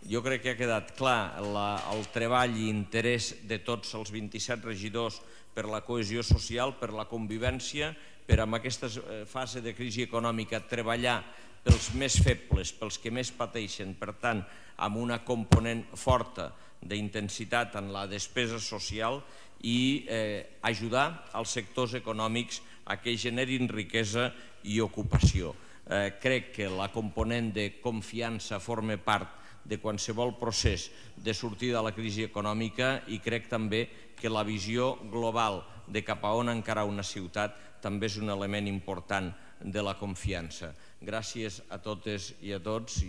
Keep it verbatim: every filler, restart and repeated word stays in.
jo crec que ha quedat clar el treball i interès de tots els vint-i-set regidors per la cohesió social, per la convivència, per en aquesta fase de crisi econòmica treballar pels més febles, pels que més pateixen, per tant, amb una component forta d'intensitat en la despesa social i ajudar els sectors econòmics a que generin riquesa i ocupació. Crec que la component de confiança forma part de qualsevol procés de sortida de la crisi econòmica i crec també que la visió global de cap a on encarar una ciutat també és un element important de la confiança. Gràcies a totes i a tots.